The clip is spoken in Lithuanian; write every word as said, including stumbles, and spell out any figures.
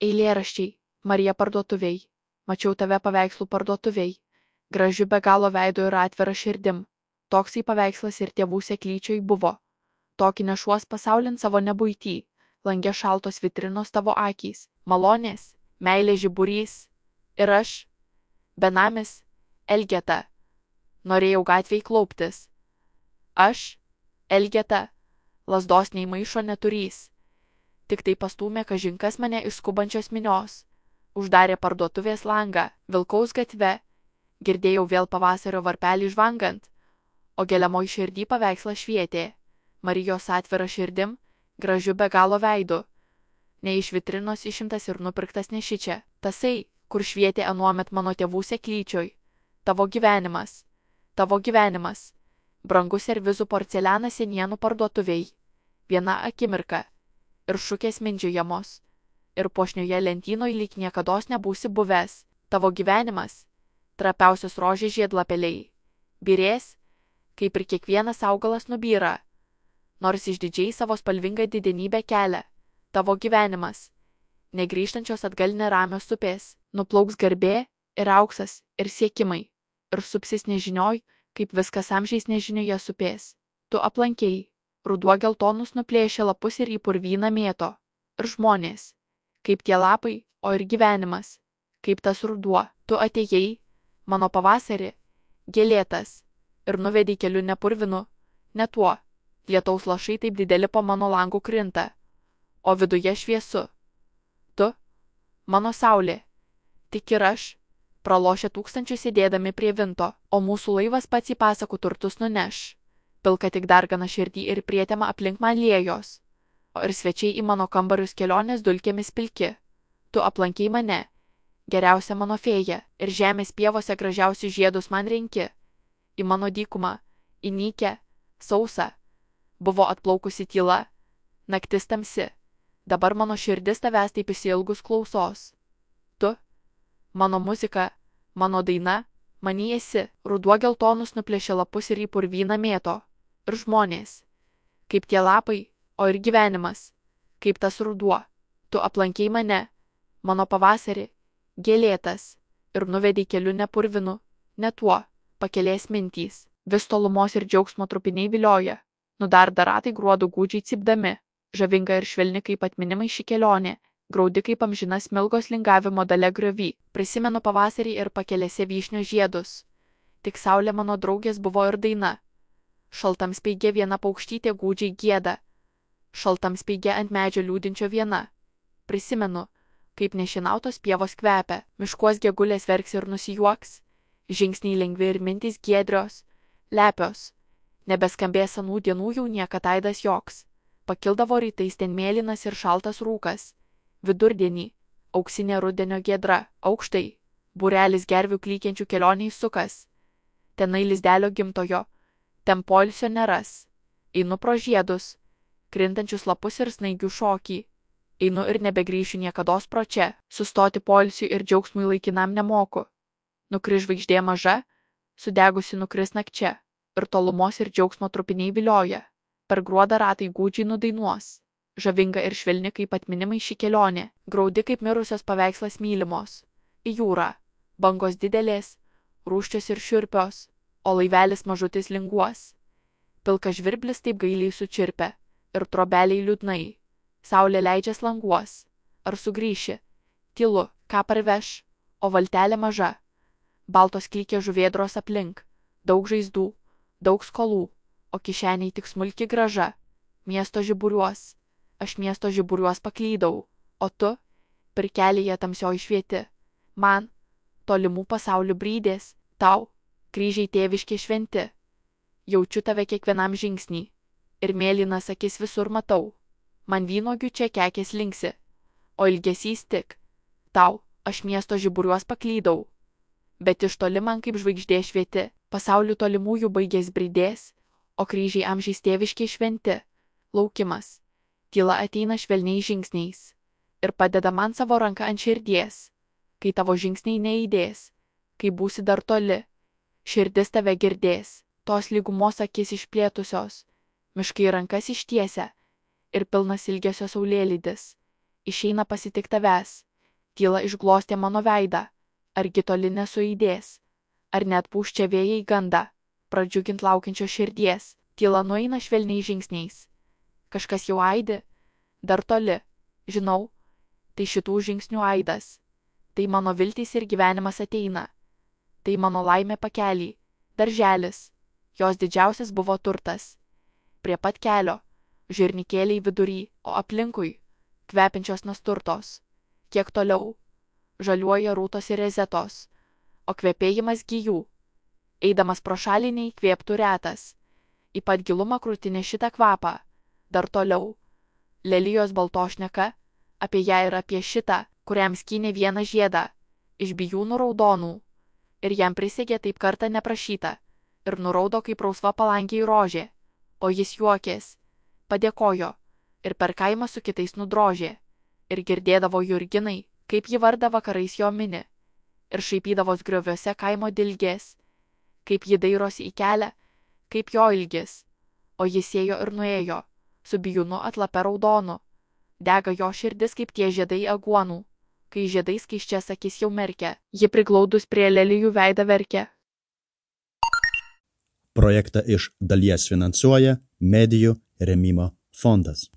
Eilėraščiai. Marija parduotuviai. Mačiau tave paveikslų parduotuviai. Gražiu be galo veidu ir atvira širdim. Toksai paveikslas ir tėvų seklyčioj buvo. Tokį nešuos pasaulin savo nebuitį. Lange šaltos vitrinos tavo akys. Malonės, meilė žiburys. Ir aš, benamis, Elgeta. Norėjau gatvėj klauptis. Aš, Elgeta, lazdos nei maišo neturys. Tik tai pastūmė kažinkas mane iš skubančios minios. Uždarė parduotuvės langą, vilkaus gatve. Girdėjau vėl pavasario varpelį žvangant, o geliamoj širdį paveikslas švietė. Marijos atvira širdim, gražiu be galo veidu. Ne iš vitrinos išimtas ir nupirktas nešičia. Tasai, kur švietė anuomet mano tėvų seklyčioj. Tavo gyvenimas. Tavo gyvenimas. Brangus servizų porcelianas senienų parduotuviai. Viena akimirka. Ir šukės mindžiojamos. Ir puošnioje lentynoj lyg niekados nebūsi buvęs. Tavo gyvenimas. Trapiausios rožės žiedlapeliai. Birės, kaip ir kiekvienas augalas nubyra. Nors išdidžiai savo spalvingą didenybę kelia. Tavo gyvenimas. Negrįžtančios atgal neramios upės. Nuplauks garbė ir auksas ir siekimai. Ir supsis nežinioj, kaip viskas amžiais nežinioje supės. Tu aplankėjai. Ruduo geltonus nuplėšė lapus ir į purvyną mėto. Ir žmonės. Kaip tie lapai, o ir gyvenimas. Kaip tas ruduo. Tu atėjai, mano pavasarį, gėlėtas. Ir nuvedei keliu nepurvinu, ne tuo. Lietaus lašai taip dideli po mano langų krinta. O viduje šviesu. Tu, mano saulė. Tik ir aš. Pralošė tūkstančius sėdėdami prie vinto, o mūsų laivas pats į pasakų turtus nuneš. Pilka tik dargana širdį ir prietema aplink man liejos. O ir svečiai į mano kambarius kelionės dulkėmis pilki. Tu aplankei mane, geriausia mano fėja, ir žemės pievose gražiausius žiedus man renki. Į mano dykumą, į nykę, sausą. Buvo atplaukusi tyla, naktis tamsi. Dabar mano širdis tavęs taip išsiilgus klausos. Tu, mano muzika, mano daina, many esi. Ruduo geltonus nuplėšė lapus ir į purvyną mėto. Ir žmonės. Kaip tie lapai, o ir gyvenimas. Kaip tas ruduo. Tu aplankei mane, mano pavasarį, gėlėtas. Ir nuvedei keliu nepurvinu, ne tuo. Pakelės mintys. Vis tolumos ir džiaugsmo trupiniai vilioja. Nudarda ratai gruodų gūdžiai cypdami. Žavinga ir švelni kaip atminimai ši kelionė. Graudi kaip amžinas smilgos lingavimo dalia griovy. Prisimenu pavasarį ir pakelėse vyšnio žiedus. Tik saulė mano draugės buvo ir daina. Šaltam speigė viena paukštytė gūdžiai gieda. Šaltam speigė ant medžio liūdinčio viena. Prisimenu, kaip nešinautos pievos kvepia. Miškuos gegulės verks ir nusijuoks. Žingsniai lengvi ir mintys giedrios. Lepios. Nebeskambės anų dienų jau niekad aidas joks. Pakildavo rytais ten mėlynas ir šaltas rūkas. Vidurdienį, auksinė rudenio giedra, aukštai, būrelis gervių klykiančių kelioniai sukas. Tenai lizdelio gimtojo, ten poilsio neras. Einu pro žiedus, krintančius lapus ir snaigių šokį. Einu ir nebegrįšiu niekados pro čia, sustoti poilsiui ir džiaugsmui laikinam nemoku. Nukris žvaigždė maža, sudegusi nukris nakčia, ir tolumos ir džiaugsmo trupiniai vilioja. Per gruodą ratai gūdžiai nudainuos. Žavinga ir švelni kaip atminimai ši kelionė, graudi kaip mirusios paveikslas mylimos. Į jūrą, bangos didelės, rūščios ir šiurpios, o laivelis mažutis linguos. Pilkas žvirblis taip gailiai sučirpia, ir trobeliai liūdnai. Saulė leidžias languos. Ar sugrįši? Tylu, ką parveš, o valtelė maža. Baltos klykė žuvėdros aplink, daug žaizdų, daug skolų, o kišeniai tik smulki graža. Miesto žiburiuos. Aš miesto žiburiuos paklydau, o tu, pirkelėje tamsioj švieti. Man, tolimų pasaulių brydės, tau, kryžiai tėviški šventi. Jaučiu tave kiekvienam žingsnį, ir mėlynas akis visur matau. Man vynogių čia kekės linksi, o ilgesys tik. Tau, aš miesto žiburiuos paklydau. Bet iš toli man kaip žvaigždė švieti, pasaulių tolimųjų baigės brydės, o kryžiai amžiais tėviški šventi. Laukimas. Tyla ateina švelniais žingsniais ir padeda man savo ranką ant širdies, kai tavo žingsniai neįdės, kai būsi dar toli, širdis tave girdės, tos lygumos akis išplėtusios, miškai rankas ištiesia ir pilnas ilgesio saulėlydis, išeina pasitik tavęs, Tyla išglostė mano veidą. Argi toli nesuaidės? Ar net pūščia vėjai gandą, pradžiugint laukiančio širdies? Tyla nueina švelniais žingsniais. Kažkas jau aidi? Dar toli. Žinau, tai šitų žingsnių aidas. Tai mano viltys ir gyvenimas ateina. Tai mano laimė pakelį. Darželis. Jos didžiausias buvo turtas. Prie pat kelio. Žirnikėliai vidury, o aplinkui kvepiančios nasturtos. Kiek toliau žaliuoja rūtos ir rezetos, o kvepėjimas gijų. Eidamas pro šalį neįkvėptų retas. Į pat gilumą krūtinė šitą kvapą. Dar toliau. Lelijos baltošneka, apie ją ir apie šitą, kuriam skynė vieną žiedą, iš bijūnų raudonų. Ir jam prisegė taip kartą neprašyta, ir nuraudo kaip rausva palankiai rožė, o jis juokės, padėkojo, ir per kaimą su kitais nudrožė, ir girdėdavo jurginai, kaip ji vardą vakarais jo mini, ir šaipydavos grioviuose kaimo dilgės, kaip ji dairosi į kelią, kaip jo ilgis, o jis ėjo ir nuėjo, su bijūnu atlape raudonu, dega jo širdis kaip tie žiedai aguonų, kai žiedai skaisčias akis jau merkia, ji priglaudus prie lelijų veidą verkia. Projektą iš dalies finansuoja Medijų rėmimo fondas.